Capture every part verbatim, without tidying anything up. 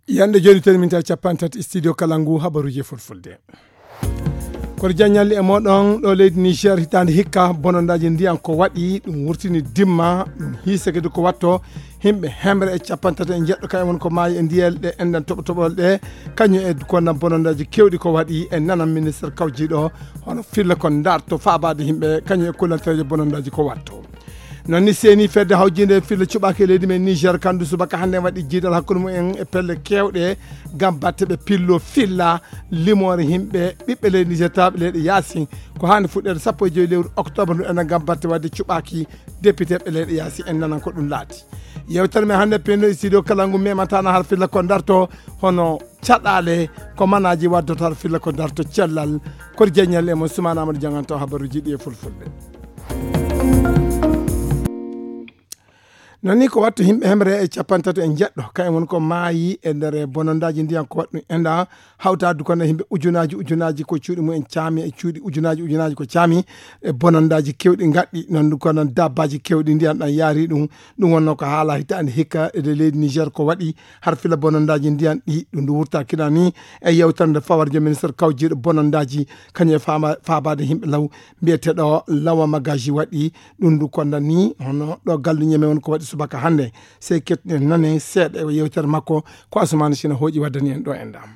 Yande joni, ten minta capanɗe tati, studio Kalangu, habaruji e fulfulde. Koto jaññalli e moɗon ɗo leydi Niger, hitaande hikka, bonondaji ndiyan ko waɗi, ɗum wurtini dimma, ɗum hiisa kadi ko watto, himɓe hemre e capanɗe tati e jeɗɗo, kañum woni ko maayi e ndiyel ɗe enɗan toɓo toɓol ɗe, kañum e kono bonondaji kewɗi ko waɗi, e nanan ministre kawjiɗo, hono filla ko darto faabaade himɓe, kañum e kullantereje bonondaji ko watto. Noon ni seeni fedde hawjinde filla cuɓaaki e leydi men Niger, kandu subaka hannde waɗi jiidal hakkunde mumen e pelle kewɗe, ngam batte ɓe pillo filla limoore himɓe ɓiɓɓe leydi Niger tawɓe leyɗe yaasi. Ko hannde fuɗɗeede sappo e joyi lewru octobre ndu enen ngam batte wadde cuɓaaki député ɓe leyɗe yaasi en nanan ko ɗum laati. Yewtere men hannde penno e studio kala ngu memantana har filla ko darto hono caɗaale ko manaaji waddata har filla ko darto cellal. Koto jeññal e mo Sumaana Amadou Janganto habaruji ɗi e fulfulde. Noon ni ko wattu himɓe hemre e capantato e jeɗɗo, kayen woni ko maayi e nder bonondaaji ndiyan ko waɗɗum enda hawtaade kono himɓe ujunaaji ujunaaji ko cuuɗi mumen caami e cuuɗi ujunaaji ujunaaji ko caami e bonondaaji kewɗi ngaɗɗi noon ɗum ko noon dabbaaji kewɗi ndiyan ɗan yaari ɗum. Ɗum wonno ko haala hitaande hikka e leydi Niger ko waɗi har fila bonondaaji ndiyan ɗi ɗum ndu wurta kina ni e yewtere nde fawarjo ministre kawjiiɗo bonondaaji kañum e faama- faabaade himɓe law mbiyeteeɗo Lawa Magaji waɗi ɗum ndu konda ni hono ɗo galluñe men woni ko waɗi subaka hannde. Sey kettinen nane seeɗa e yewtere makko ko Asumaani Sina hooƴi waddani en ɗo en ɗam.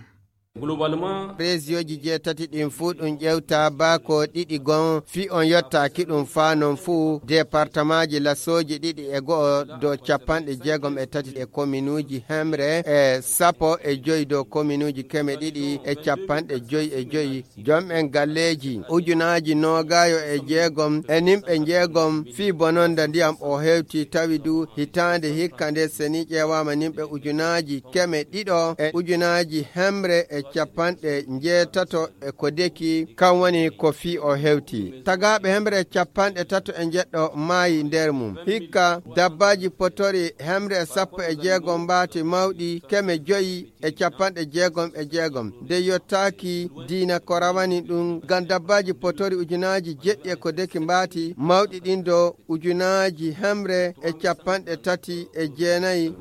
Globalement, région ji jeetati ɗin fuu ɗum ƴewta baako ɗiɗi gon fi on yottaaki ɗum faa non fuu département ji lasooji ɗiɗi e go'o dow capanɗe jeegom e tati e kominuuji hemre e sappo e joyi dow kominuuji keme ɗiɗi e capanɗe joyi e joyi. Jom en galleeji ujunaaji noogaayo e jeegom e nimɓe njeegom fii bononda ndiyam o hewti tawi du hitaande hikka nde seni ƴeewaama nimɓe ujunaaji keme ɗiɗo e ujunaaji hemre e capanɗe njeetato e ko deki kam woni ko fii o hewti. Tagaaɓe hemre capanɗe tato e njeɗɗo maayi nder mum. Hikka dabbaaji potori hemre e sappo e jeegom mbaati mawɗi keme joyi e capanɗe jeegom e jeegom nde yottaaki diina ko rawani ɗum ngam dabbaaji potori ujunaaji jeɗɗi e ko deki mbaati mawɗi ɗin do ujunaaji hemre e capanɗe tati e jeenayi.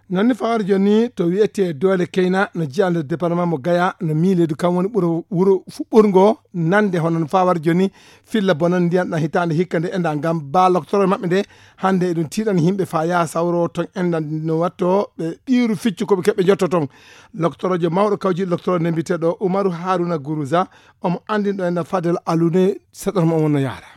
Noon ni fawaade jooni to wiyetee Doole Keyna no jiyaa nder département mo Gaya no miileedu kam woni ɓuro wuro fuɓɓorngo nande hono no fawaade jooni filla bonan ndiyan ɗan hitaande hikka nde enda ngam baa loktoro maɓɓe nde hannde eɗum tiiɗani yimɓe faa yaha sawro ton enda no watto ɓe ɗiiru ficcu ko ɓe keɓɓe njotto ton. Loktorojo mawɗo kawjiiɗo loktoro nde mbiyeteeɗo Umaru Haruna Guruza omo anndin ɗo enda Fadel Alune seɗɗoto mo on no yaara.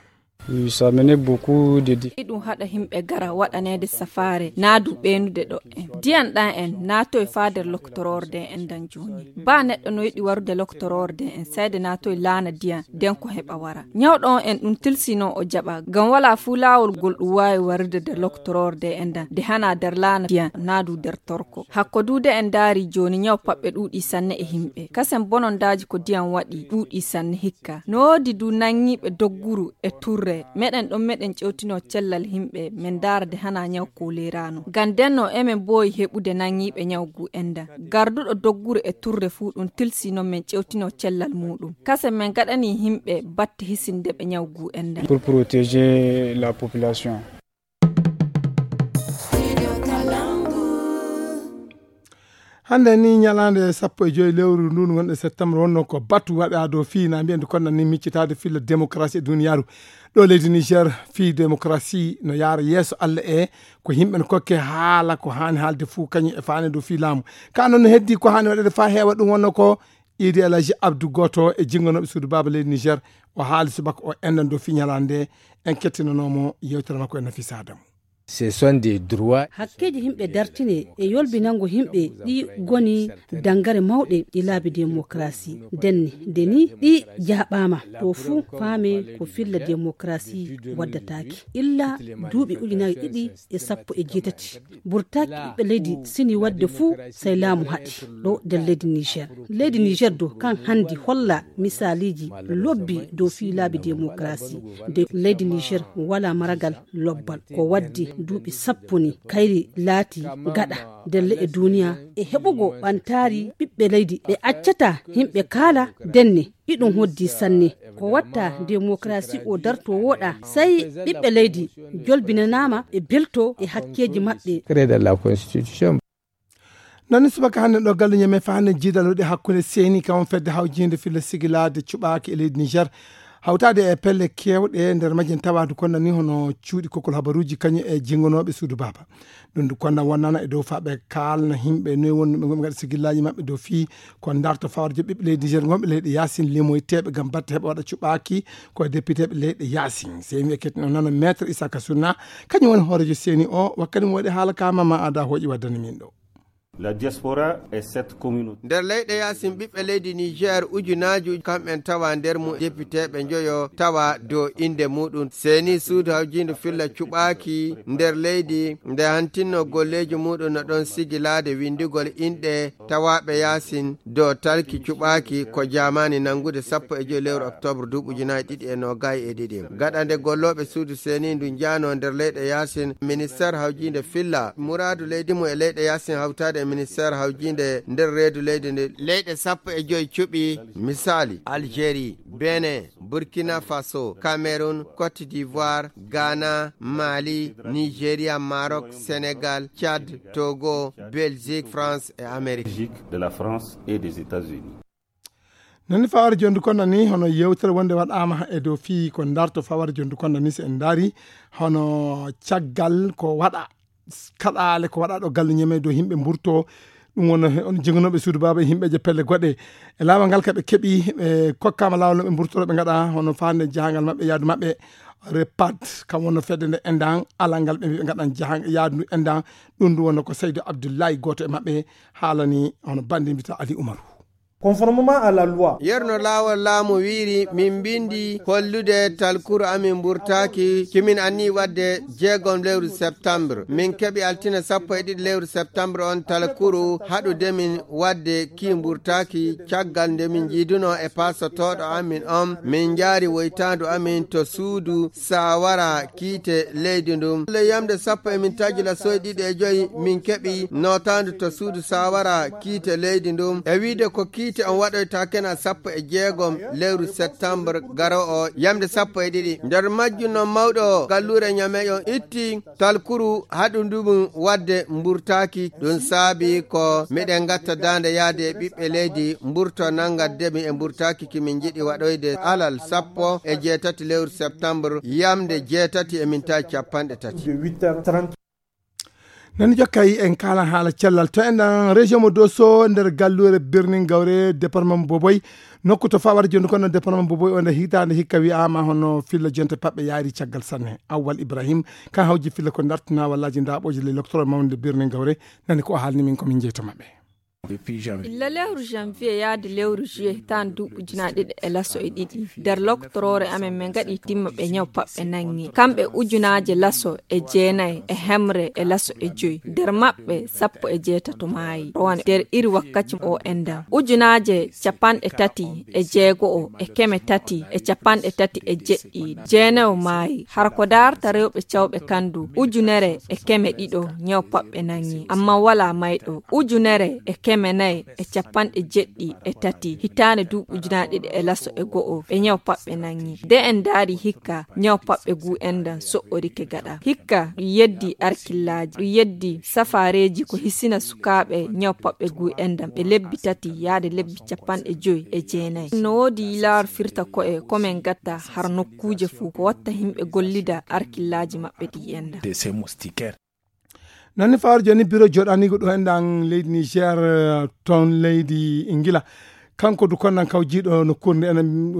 Oui, ça menait beaucoup de difficultés. Iɗum haɗa himɓe gara waɗaneede safaare naa du ɓeenude ɗo en diyan ɗan en naatoy faa nder loktororde en dan jooni. Baa neɗɗo no yiɗi warude loktororde en sayde naatoy laana diyan den ko heɓa wara. Ñawɗo on en ɗum tilsino o jaɓa ngam walaa fuu laawol ngol ɗum waawi warude nder loktororde en dan nde hanaa nder laana diyan naa du nder torko. Hakko du de en ndaari jooni ñaw paɓɓe ɗuuɗi sanne e himɓe kasen bonondaaji ko diyan waɗi ɗuuɗi sanne hikka. No woodi du nanñiiɓe dogguru e turre meɗen ɗon meɗen ƴewtino cellal himɓe men ndaarde hana ñaw ko leeraano ngam denno emen mboowi heɓude nanñiiɓe ñaw gu enda garduɗo dogguru e turre fuu ɗum tilsi non men ƴewtino cellal muuɗum kasen men gaɗani himɓe batte hisinde ɓe ñaw gu enda. Pour protéger la population. Hannde ni ñalaande sappo e joyi lewru ndun wonɗo septembre wonno ko batu waɗa dow fii na mbiyen kono ni miccitaade filla démocratie e duniyaaru. Ɗo leydi Niger fii démocratie no yaara yeeso Allah e ko yimɓe no kokke haala ko haani haalde fuu kañum e faane dow fii laamu. Ka noon no heddi ko haani waɗede faa heewa ɗum wonno ko Idi Alhaji Abdou Goto e jingonooɓe suudu baaba leydi Niger o haali subaka o enɗan dow fii ñalaande nde en kettinanoomo yewtere makko e Nafisa Adamu. Ce sont des droits. Hakkeeji yimɓe dartine e yolbinango yimɓe ɗi goni dangare mawɗe e laabi démocratie. Ndenne nde ni ɗi jaɓaama ɗo fuu faame ko filla démocratie waddataake illa duuɓi ujunaaji ɗiɗi e sappo e jeetati. Burtaaki ɓiɓɓe leydi sini waɗde fuu sey laamu haɗi ɗo nder leydi Niger. Leydi Niger do kan handi holla misaaliji lobbi dow fii laabi démocratie. Nde leydi Niger wala maragal lobbal ko waddi duuɓi sappo ni kayri laati gaɗa nder leƴƴe duniya e heɓugo ɓantaari ɓiɓɓe leydi. Ɓe accata yimɓe kaala denne. Iɗum hoddi sanne ko watta demokrasi o darto woɗa sai ɓiɓɓe leydi jolbinanaama e belto e hakkeeji maɓɓe. Créer la constitution. Nani subaka hannde ɗo galle ñame fa hannde jiidal waɗi hakkunde seeni kam fedde hawjinde filla sigilaade cuɓaaki e leydi Niger. Hawtaade e pelle keewɗe nder majje tawaadu kon nani hono cuuɗi kokol habaruuji kañum e jingonooɓe suudu baaba. Ɗum ndu konna wonnana e dow faɓe kaalna yimɓe noy wonno ɓe ngoɓe gaɗa sigillaaji maɓɓe dow fii ko darto fawar joɓɓe ɓiɓɓe leydi Niger ngoɓe leyɗe yaasin limoyteeɓe ngam batte heɓa waɗa cuɓaaki ko e député ɓe leyɗe yaasin. Sey mi ekkitino nano maître Isaka Sunna, kañum woni hoorejo seeni o, wakkati mo waɗi haala ka Mama Ada hooƴi waddani min ɗo. La diaspora est cette communauté. Nder leyɗe yaasin ɓiɓɓe leydi Niger ujunaaji uju kamɓen tawa nder mum, depiteeɓe njoyo tawa dow innde muɗum. Seeni suudu hawjiinde filla cuɓaaki nder leydi nde hantinno golleeji muɗum no ɗon sigilaade winndugol inɗe tawaaɓe yaasin dow talki cuɓaaki ko jaamaani nanngude sappo e joy lewru oktoobre duuɓi ujunaaji ɗiɗi e noogay e ɗiɗi. Gaɗa nde gollooɓe suudu seeni ndu njaano nder leyɗe yaasin, ministeer hawjiinde filla muraadu leydi mum e leyɗe yaasin hawtaade e ministeer hawjiinde nder reedu leydi nde leyɗe sappo e joy cuɓi, misaali, Algérie, Benin, Burkina Faso, Cameroun, Côte d'Ivoire, Ghana, Mali, Nigeria, Maroc, Sénégal, Tchad, Togo, Belgique, France et Amérique. Belgique, de la France et des États-Unis. Nani fawar jondu kon nani hono yewtere wonde waɗama e dow fii ko darto fawar jondu kon nani, so en daari hono caggal ko waɗa kaɗaale ko waɗa ɗo galle ñeme dow yimɓe mburto. Ɗum wonno he on jiganoɓe suudu baaba e yimɓeje pelle goɗɗe. E laawol ngal ka ɓe keɓi, ɓe kokkama laawol no ɓe mburtoro ɓe ngaɗa hono faande jahangal maɓɓe yaadu maɓɓe. Repat kam wonno fedde nde endan alal ngal ɓe mbi ɓe ngaɗan jahan yaadu ndu endan. Ɗum ndu wonno ko Seydo Abdullahi, gooto e maɓɓe, haalani hono bande mbita Ali Umaru. Conformément à la loi. Yerno laawol laamu wiiri min mbindi hollude talkuru amin mburtaaki kimin anni wadde jeegom lewru septembre. Min keɓi altine sappo e ɗiɗi lewru septembre on talkuru haɗude min wadde ki mburtaaki caggal nde min jiiduno e paasotooɗo amin on. Min njaari woytaandu amin to suudu saawara kiite leydi ndun. Le yamde sappo e min taji la soy ɗiɗi e joy min keɓi nootaandu to suudu saawara kiite leydi ndun. E wiide ko kiite on waɗoyta kena sappo e jeegom lewru septembre garo o yamde sappo e ɗiɗi. Nder majjum non mawɗo galluure ñameƴon itti talkuru haɗu ndumu wadde mburtaaki. Ɗum saabi ko miɗen gatta daande yaade e ɓiɓɓe leydi mburto nanga demi e mburtaaki ki min njiɗi waɗoyde alal sappo e jeetati lewru septembre yamde jeetati e mintaji capanɗe tati. Nani jokkay en kaalan haala cellal to enɗan région mo Dosso nder galluure Birnin Gawre département mo Boboy. Nokku to fawata jonde kono département mo Boboy o nder hitaande hikka wi'ama hono filla jonte paɓɓe yaari caggal sanne. Awwal Ibrahim kan hawji filla ko dartina wallaaji ndaɓoje le docteur mawde Birnin Gawre. Nani ko o haalni min ko min jeyto maɓɓe. Illa lewru janvier yaade lewru juillet hitaande duuɓi ujunaaji ɗiɗi e laso e ɗiɗi nder loktoroore amen min ngaɗi timma ɓe ñaw paɓɓe nangi kamɓe ujunaaje laso e jeenayi e hemre e laso e joyi nder maɓɓe sappo e jeetato maayi rowane nder iri wakkati o endan ujunaaje capanɗe tati e jeego o e keme tati e capanɗe tati e jeɗɗi jeenayo maayi hara ko daarta rewɓe cawɓe kandu ujunere e keme ɗiɗo ñaw paɓɓe nangi amma wala mayɗo ujunere e keme nayi e capanɗe jeɗɗi e tati hitaande duuɓi ujunaaji ɗiɗi e laso e go'o ɓe ñaw paɓɓe nangi nde en ndaari hikka ñaw paɓɓe gu endan so'orike gaɗa hikka ɗum yeddi arkillaaji ɗum yeddi safaareeji ko hisina sukaaɓe ñaw paɓɓe gu endan ɓe lebbi tati yaade lebbi capanɗe joyi e jeenayi no woodi yilaaru firta ko'e ko min gatta har nokkuuje fuu ko watta yimɓe gollida arkillaaji maɓɓe ɗi endan. Nani fawar joni biro joɗanigo ɗo enɗan leydi Niger ton leydi Ingila. Kanko du konnan kawjiɗo no kurni enen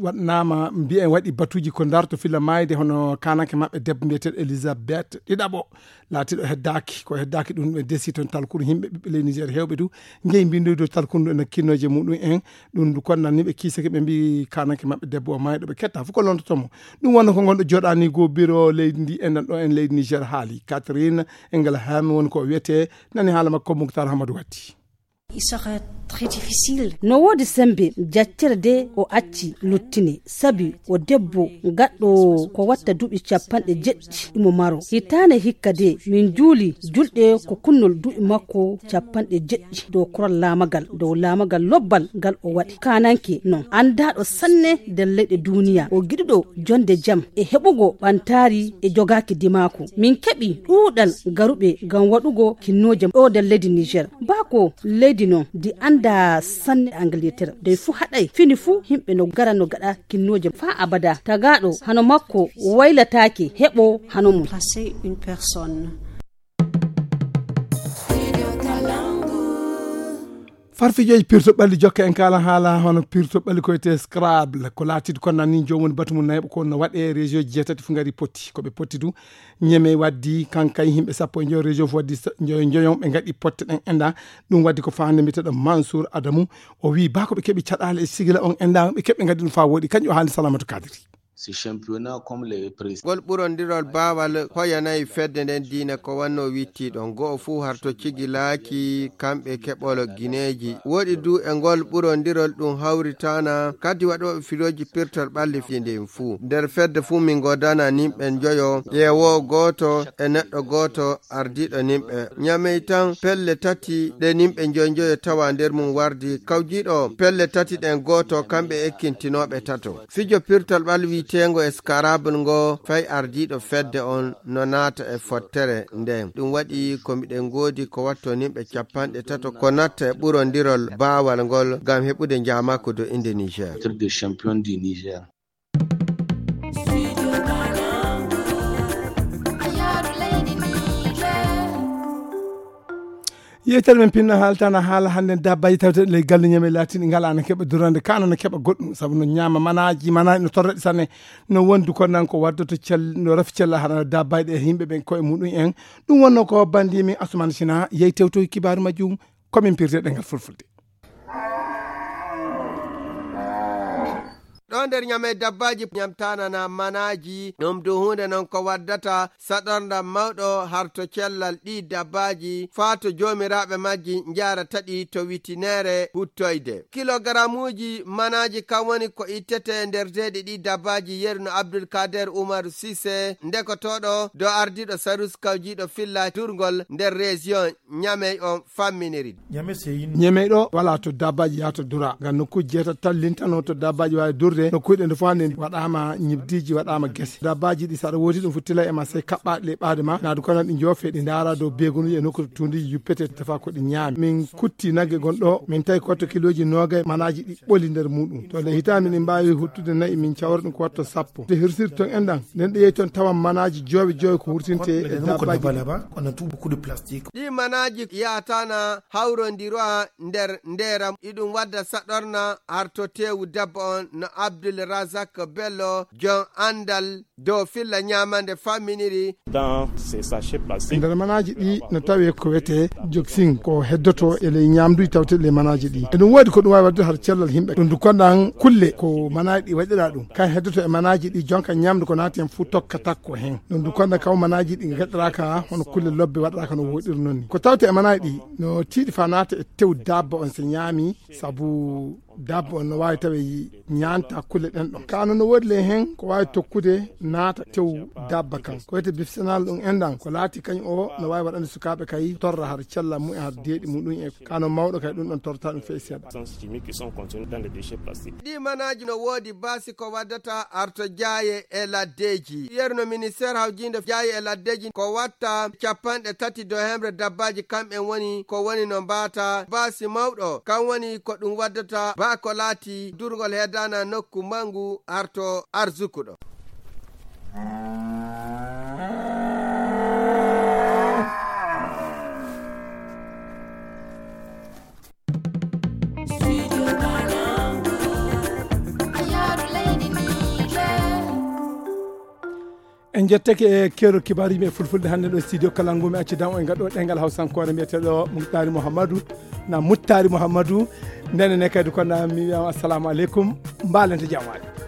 waɗnama mbiyen waɗi batuji ko darto filla mayde hono kananke maɓɓe debbo mbiyeteɗo Elizabeth ɗiɗaɓo latiɗo heddaki ko heddaki ɗum ɓe desi ton talkuru yimɓe ɓiɓɓe leydi Niger hewɓe du jeyi mbindoyde talkuru ndu ene kinnoje muɗum en. Ɗum ndu konnanni ɓe kiisake ɓe mbi kananke maɓɓe debbo o mayɗo ɓe ketta fof ko lontotomo. Ɗum wonno ko gonɗo joɗani go biro leydi ndi enɗan ɗo en leydi Niger haali Catherine Engelham woni ko wiyete. Nani haala makko Muktar Hamadou Watti. Il sera très difficile. No woodi semmbe jaccere de o acci luttine, sabi o debbo gaɗɗo ko watta duuɓi capanɗe jeɗɗi imo maro. Hitaande hikka de min juuli julɗe ko kunnol duuɓi makko capanɗe jeɗɗi dow koral laamagal, dow laamagal lobbal ngal o waɗi. Kaananke non anndaaɗo sanne nder leyɗe duuniya, o giɗuɗo jonde jam e heɓugo ɓantaari e jogaaki dimaaku. Min keɓi ɗuuɗal garuɓe ngam waɗugo kinnooje ɗo nder leydi Niger. Bako leydi non ndi annda sanne Angleterre. Dey fuu haɗay fini fuu yimɓe no gara no gaɗa kinnooje faa abada. Tagaaɗo hano makko waylataake heɓo hano mum. Remplacer une personne. Farfijoji pirto ɓalli jokka en kala haala hono pirto ɓalli ko wiyetee Scrabble, ko laatiiɗo kon nan ni joomum woni batu mum nayɓo ko no waɗee. Région ji jeetati fu ngari potti ko ɓe potti du. Ñeme waddi kankay yimɓe sappo e njoyo, région fu waddi njoyo njoyo ɓe ngaɗi potte ɗen enda. Ɗum waddi ko faande mbiteɗo Mansour Adamu. O wi ba ko ɓe keɓi caɗaale e sigila on enda ɓe keɓi ngaɗi ɗum fa woɗi kanƴum o haali Salamatu Kadiri. Ngol ɓurondirol baawal hoyanay fedde nden diina ko wanno wittiiɗo. Go'o fuu harto cigilaaki kamɓe keɓol gineeji. Woɗi du e ngol ɓurondirol ɗum hawritaana kadi waɗooɓe filooji pirtol ɓalli fii ndin fuu. Nder fedde fuu min ngoodana nimɓe njoyo, ƴeewoo gooto e neɗɗo gooto ardiiɗo nimɓe. Ñamey tan pelle tati ɗe nimɓe njoy njoyo tawa nder mum wardi. Kawjiiɗo pelle tati ɗen gooto kamɓe ekkintinooɓe tato. Fijo pirtal ɓal wi'eteengo e Scrabble ngo fay ardiiɗo fedde on no naata e fottere nden. Ɗum waɗi ko miɗen ngoodi ko watto nimɓe capanɗe tato ko natta e ɓurondirol baawal ngol ngam heɓude njaamaaku do innde Niger. Yewtere men pinno haaltana haala hannden dabbaji tawte ley galle ñame laatini ngala na keɓa durande kana na keɓa goɗɗum sabu no ñaama manaji manaji no torraɗi sanne. No wondu ko nan ko waddoto cel no rafi cella hana dabbaji ɗe yimɓe ɓen koye muɗum en. Ɗum wonno ko bandi min Asumana Sina yehi tewtoy kibaru majjum. Komin pirte ɗengal fulfulde. Ɗo nder ñamey dabbaaji ñamtaanana manaaji, ɗum du huunde non ko waddata saɗorndam mawɗo har to cellal ɗii dabbaaji, faa to joomiraaɓe majji njaarata ɗi to witineere huttoyde. Kilogaramuuji manaaji kan woni ko ittetee nder deeɗi ɗii dabbaaji, yeru no Abdul Kader Umaru Sise, ndekotooɗo dow ardiiɗo sarus kawjiiɗo filla durngol nder reziyon ñamey on famminiri. Ñamey ɗo wala to dabbaji yahata dura ngam nokkuji jeetati tan lintano to dabbaji wawi durde. Nokkuji ɗe nde fof hande waɗama ñibdiji waɗama guese dabbaji ɗi saɗa woodi ɗum fu tila e ma sey kaɓɓaɗi ley ɓaade ma naadu kono ɗi joofe ɗi ndaara dow begonuji e nokku to tunduji yuppete tafa ko ɗi ñaami. Min kutti nagge gonɗo min tawi ko watto kiloji nogay manaji ɗi ɓoli nder muɗum to nde hitami ɗi mbawi huttude nayi min cawra ɗum ko watto sappo. Nde hirsirton enɗan nden ɗe yehi toon tawan manaji jowe jowe ko hurtinte e dabbaji. Ɗi manaaji yaatana hawrondiroa nder ndeeram iɗum wadda saɗorna arto teewu dabba on no Abdul Razak Bello jon anndal dow filla ñaamande famminiri. Nder manaaji ɗi no tawe ko wete joksin ko heddoto e ley ñaamduji tawte ley manaaji ɗi eɗum woodi ko ɗum wawi waddude har cellal yimɓe ɗum du konɗan kulle ko manaaji ɗi waɗira ɗum kan heddoto e manaaji ɗi jonka ñaamdu ko naati hen fuu tokka takko hen. Ɗum du konɗan kaw manaaji ɗi gaɗiraka hono kulle lobbe waɗiraka no woɗiri noon ni ko tawte e manaaji ɗi no tiiɗi fa naata e tew dabba on so ñaami sabu dabba on no waawi tawe ñaanta kulle ɗen ɗon kano no woodi ley hen ko waawi tokkude naata tew dabba kan ko wiyete bifsenal ɗum enɗan ko laati kañum o no waawi waɗande sukaaɓe kay torra har cella mumen har deeɗi muɗum e kano mawɗo kay ɗum ɗon torrata ɗum fey seeɗa. Ɗi manaaji no woodi baasi ko waddata arto jaaye e laddeeji yerno ministeer hawjiinde jaaye e laddeeji ko watta capanɗe tati dow hemre dabbaaji kamɓen woni ko woni no mbaata baasi mawɗo kan woni ko ɗum waddata baa ko laati durgol heedana nokku mangu arto arsukuɗo. En jettake e keerol kibaaru yimɓe e fulfulde hannde ɗo studio kala ngumi acci dan o e ngaɗo ɗengal hawsankoore mbiyeteɗo muttari mouhammadou na muttari mouhammadou. Ndene ne kadi kono mi wiyama assalamu aleykum. Mbalente jamaɗe.